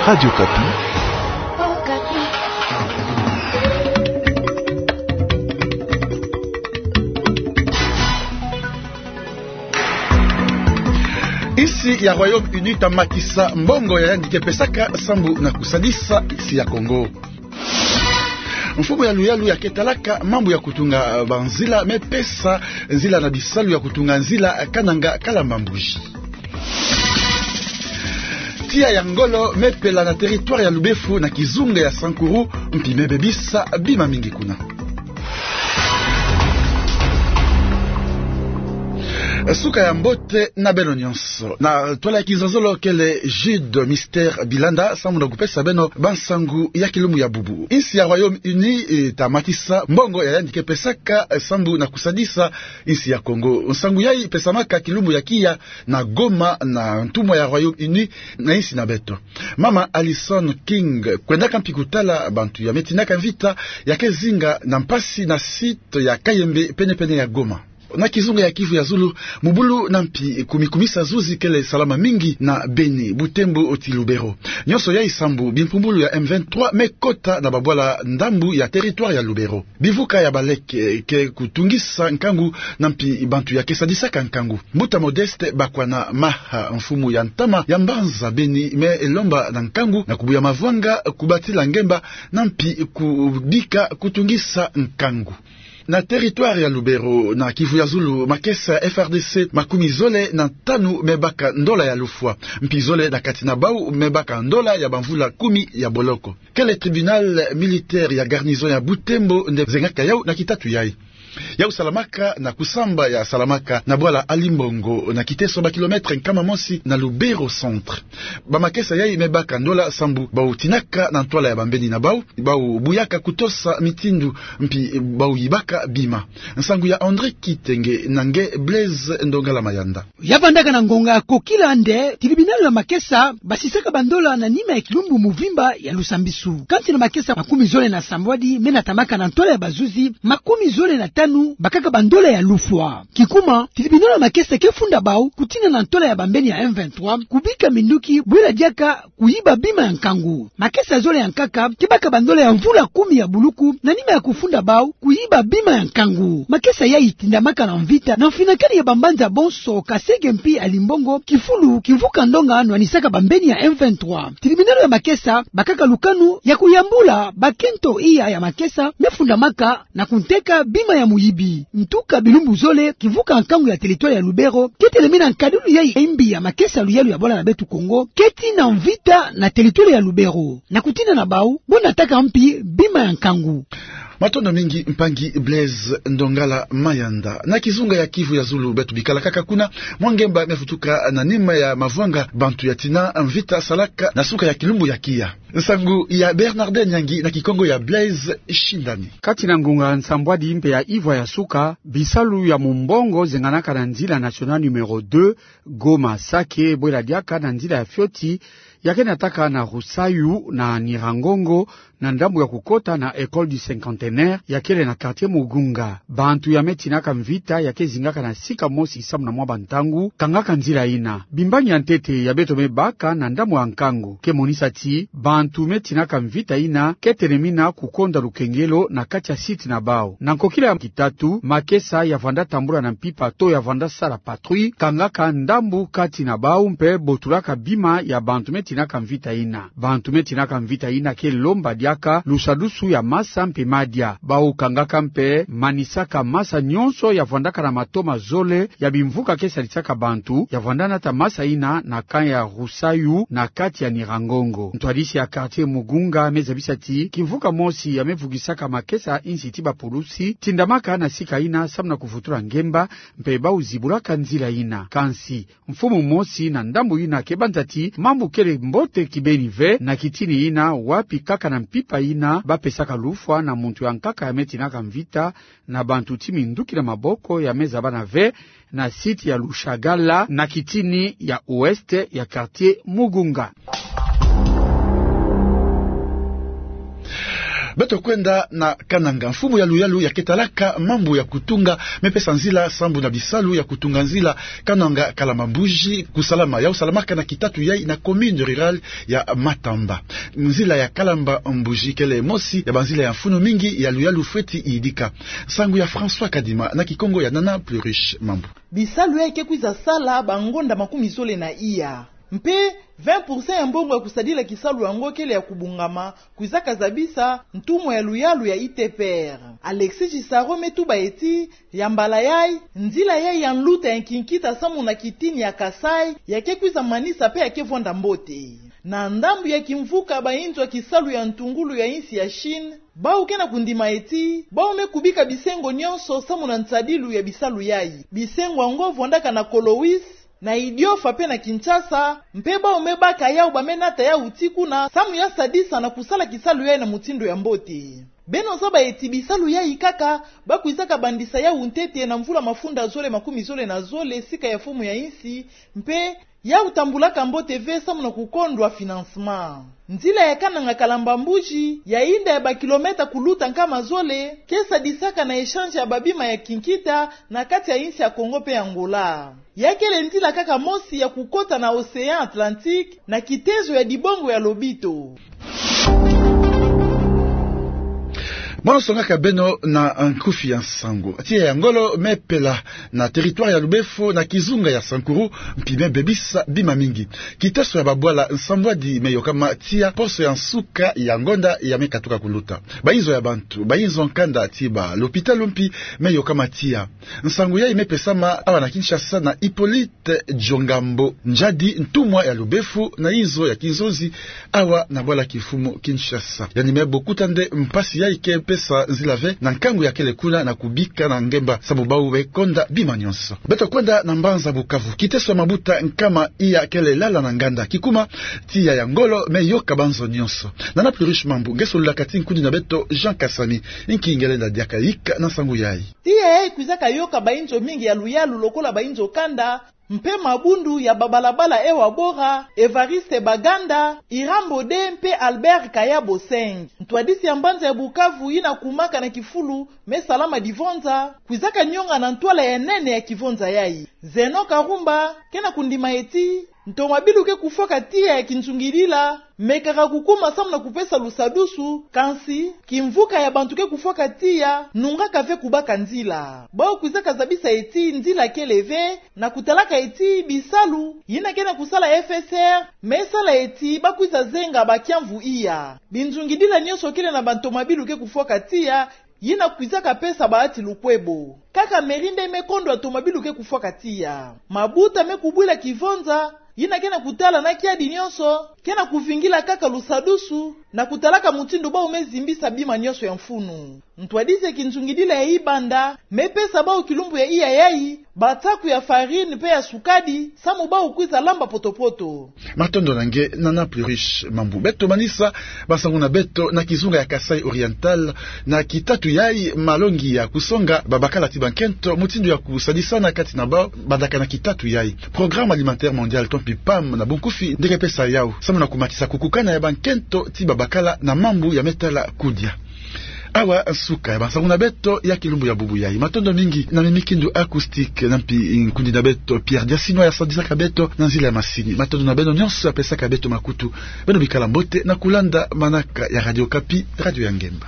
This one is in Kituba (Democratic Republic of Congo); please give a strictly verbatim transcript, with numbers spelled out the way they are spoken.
Radio Okapi. Insi ya Royaume-Uni ta matisa mbongo ya yandi ke pesaka sambu na kusadisa insi ya Kongo. Mfumu ya luyalu ya ke talaka mambu ya kutunga banzila me pesa nzila na bisalu ya kutunga nzila kananga Kalamba-Mbuji. Tiya ya ngolo me pela na territoire ya Lubefu na kizunga ya Sankuru, mpi me bebisa bima mingi kuna. Suka ya mbote na beno nyonso. Na twala ya kizazolo kele Jude Mister Bilanda, sambu na kupesa beno bansangu ya kilumbu ya bubu. Insi ya Royaume-Uni, eh, ta matisa mbongo ya yandi ke pesaka, eh, sambu na kusadisa insi ya Kongo. Nsangu yayi pesamaka kilumbu ya kiya na Goma na ntumwa ya Royaume-Uni na insi na beto. Mama Alison King kwendaka mpi kutala bantu ya me tinaka mvita ya ke zinga na mpasi na site ya Kayembe, pene-pene ya Goma. Na kizunga ya Kivu ya zulu, mubulu na mpi kumi-kumisa zuzi kele salama mingi na Beni, Butembo tii Lubero. Nyonso yayi sambu bimpumbulu ya M vingt-trois me kota na babwala ndambu ya territoire ya Lubero. Bivuka ya baleke ke kutungisa nkangu na mpi bantu ya ke sadisaka nkangu. Mbuta Modeste Bakwana Maha, mfumu ya ntama ya mbanza Beni, me lomba na nkangu na kubuya mavwanga, kubatila ngemba na mpi kubika kutungisa nkangu. Na territoire ya Lubero, na Kivu ya zulu, makesa ya F R D C makumi zole na tanu me baka ndola ya lufwa, mpi zole na kati na bau me baka ndola ya bamvula kumi ya boloko. Kele tribunal militaire ya garnison ya Butembo nde zengaka yau na kitatu yayi. Yau salamaka na kusamba ya salamaka na bwala Alimbongo, na kiteso ba kilomètre nkama mosi na Lubero centre. Bamakesa yayi me baka ndola sambu bau tinaka na ntwala ya bambeni na bau, bau buyaka kutosa mitindu, mpi bau yibaka bima. Nsangu ya André Kitenge na nge Blaise Ndongala Mayanda. Ya vandaka na ngonga ya kokila nde tribunal ya makesa basisaka bandola na nima ya kilumbu muvimba ya lusambisu. Kansi na makesa makumi zole na sambwadi me natamaka na ntwala ya bazuzi, makumi zole na tanu bakaka bandola ya lufwa. Kikuma, tribunal ya makesa ke funda bau kutina na ntwala ya bambeni ya M vingt-trois, kubika minduki bwela diaka kuyiba bima ya nkangu. Makesa zole ya nkaka ke baka bandola ya mvula kumi ya buluku na nima ya kufunda bau kuyiba bima ya nkangu. Makesa yayi tindamaka na mvita na mfinakani ya bambanza bonso, Kaseke mpi Alimbongo, Kifulu, Kimvuka Ndonga nwanisaka bambeni ya M vingt-trois. Tribunal ya makesa bakaka lukanu ya kuyambula bakento iya ya makesa me fundamaka na kunteka bima ya muyibi. Ntuka bilumbu zole, kivuka nkangu ya territoire ya Lubero ke telemena nkadulu yayi ya imbi ya makesa luyalu ya bwala na beto Kongo, keti na mvita na territoire ya Lubero, na kutina na bau bo nataka mpi bima ya nkangu. Matondo mingi mpangi Blaise Ndongala Mayanda. Na kizunga ya Kivu ya zulu, beto bikala kaka kuna, mwa ngemba me vutuka na nima ya mavwanga bantu ya tina mvita salaka na suka ya kilumbu ya kiya. Nsangu ya Bernardin Nyangi na Kikongo ya Blaise Shindani. Kati na ngonga nsambwadi mpe ya ivwa ya suka, bisalu ya mumbongo zenganaka na nzila nationale numéro deux, Goma Sake, bwela diaka na nzila ya fioti, ya ke nataka na Rusayu na Nyiragongo, na ndambu ya kukota na École du Cinquantenaire, ya kele na quartier Mugunga. Bantu ya me tinaka mvita ya ke zingaka na sika mosi samu na mwa bantangu, kangaka nzila ina. Bimbangi ya ntete ya beto me baka na ndambu ya nkangu ke monisa ti bantu me tinaka mvita ina ke telemina kukonda lukengelo na kati ya site na bau. Na nkokila ya kitatu, makesa ya vanda tambula na mpimpa to ya vanda sala patrouille, kangaka ndambu kati na bau mpe botulaka bima ya bantu me tinaka mvita ina. Bantu me tinaka mvita ina ke lomba diaka lusadusu ya masa mpe madia. Bau kangaka mpe manisaka masa nyonso ya vandaka na matoma zole ya bimvuka ke sadisaka bantu, ya vanda nata masa ina na camp ya Rusayu na kati ya Nyiragongo. Ntwadisi ya quartier Mugunga me zabisa ti kimvuka mosi ya me vugisaka makesa insi ti bapulusi tindamaka na sika ina samu na kuvutula ngemba, mpe bau zibulaka nzila ina. Kansi mfumu mosi na ndambu ina ke banza ti mambu kele mbote kibeni ve na kitini ina, wapi kaka na mpimpa ina ba pesaka lufwa na muntu ya nkaka ya me tinaka mvita na bantu ti minduki na maboko ya me zabana ve na site ya Lushagala na kitini ya ouest ya quartier Mugunga. Beto kwenda na Kananga. Mfumu ya luyalu ya ke talaka mambu ya kutunga me pesa nzila sambu na bisalu ya kutunga nzila Kananga Kalamba Mbuji kusalama. Yau salamaka na kitatu yai na commune rurale ya Matamba. Nzila ya Kalamba Mbuji kele mosi ya banzila ya mfunu mingi ya luyalu fweti yidika. Nsangu ya François Kadima na Kikongo ya Nana Pluriche Mambu. Bisalu yai ke kwiza sala bangonda makumi zole na iya. Mpe vingt pour cent ya mbongo ya kusadila kisalu yango kele ya kubungama, kwizaka zabisa ntumwa ya luyalu ya I T P R. Alexis Gisaro me tuba eti, ya mbala yai, nzila yai ya nluta ya nkinkita samu na kitini ya Kasaï ya ke kwiza manisa mpe ya ke vwanda mbote. Na ndambu ya kimvuka, bainzo ya kisalu ya ntungulu ya insi ya Chine, bau ke na kundima eti bau me kubika bisengo nyonso samu na nsadilu ya bisalu yai. Bisengo yango vwandaka na Colois, na Idiofa mpe na Kinshasa, mpe bau me baka yau ba me nata yau ti kuna samu ya sadisa na kusala kisalu yai na mutindu ya mbote. Beno zaba eti bisalu yai kaka ba kwizaka bandisa yau ntete na mvula mafunda zole makumi zole na zole sika ya mfumu ya insi, mpe yau tambulaka mbote ve samu na kukondwa financement. Nzila ya Kananga Kalamba Mbuji, ya yinda ya bakilometa kuluta nkama zole, ke sadisaka na échange ya babima ya kinkita na kati ya insi ya Congo mpe Angola. Ya kele nzila kaka mosi ya kukota na Océan Atlantique na kitezo ya dibongo ya lobito. Mwa nsongaka beno na nkufi ya nsangu. Tiya ya ngolo me pela na territoire ya Lubefo na kizunga ya Sankuru, mpi me bebisa bima mingi. Kiteso ya babwala nsambwadi me yokama tiya, poso ya nsuka ya ngonda ya me katuka kuluta. Bainzo ya bantu, bainzo nkanda ti balopitalo mpi me yokama tiya. Nsangu yai me pesama awa na Kinshasa na Hippolyte Djongambo Ndjadi, ntumwa ya Lubefo na inzo ya kinzonzi awa na bwala kimfumu Kinshasa. Yandi me bokuta nde mpasi yai ke pesa nzila ve na nkangu ya kele kuna na kubika na ngemba sambu bau be konda bima nyonso. Beto kwenda na mbanza Bukavu. Kiteso ya mabuta nkama iya kele lala na nganda. Kikuma, tiya ya ngolo me yoka banzo nyonso. Nana Pluriche Mambu nge solulaka ti nkundi na beto Jean Kasami. Nki nge lenda diaka yika na nsangu yai? Tiya yai kwizaka yoka bainzo mingi ya luyalu lokola bainzo kanda, mpe mabundu ya babalabala Ewa Bora, Evariste Baganda, Irambo de mpe Albert Kayabo Seng. Ntwadisi ya mbanza ya Bukavu yina kumaka na kifulu me Salama Divonza, kwizaka nyonga na ntwala ya nene ya kivonza yai. Zeno Karumba ke na kundima eti ntomabilu ke kufwaka tiya ya kinzungilila mekaka kukuma samu na kupesa lusadusu, kansi kimvuka ya bantu ke kufwaka tiya nungaka ve kubaka nzila. Bau kwizaka zabisa eti nzila kele ve, na kutalaka eti bisalu yina ke na kusala F S R me sala eti ba kwiza zenga bakiamvu iya. Binzungidila nyonso kele na bantomabilu ke kufwaka tiya, yina kwizaka pesa baati lukwebo. Kaka mairie nde me kondwa ntomabilu ke kufwaka tiya. Mabuta me kubwila kivonza yina ke na kutala na kiadi nyonso ke na kuvingila kaka lusadusu na kutalaka mutindu bau me zimbisa bima nyonso ya mfunu. Ntwadisi ya kinzungidila ya Ibanda me pesa bau kilumbu ya iya yai basaku ya farine mpe ya sukadi samu bau kwiza lamba poto-poto. Matondo na nge, Nana Pluriche Mambu. Beto manisa bansangu na beto na kizunga ya Kasaï Oriental. Na kitatu yai, malongi ya kusonga babakala ti bankento mutindu ya kusadisana kati na bau bandaka na kitatu yai. Programme Alimentaire Mondial, to mpi PAM na bunkufi, nde ke pesa yau samu na kumatisa kukukana ya bankento ti babakala na mambu ya me tala kudia. Awa nsuka ya bansangu na beto ya kilumbu ya bubu yai. Matondo mingi na mimikindu acoustique na mpi nkundi na beto Pierre Diasinois ya sadisaka beto na nzila ya masini. Matondo na beno nyonso ya pesaka beto makutu. Beno bikala mbote na kulanda manaka ya Radio Okapi, radio ya ngemba.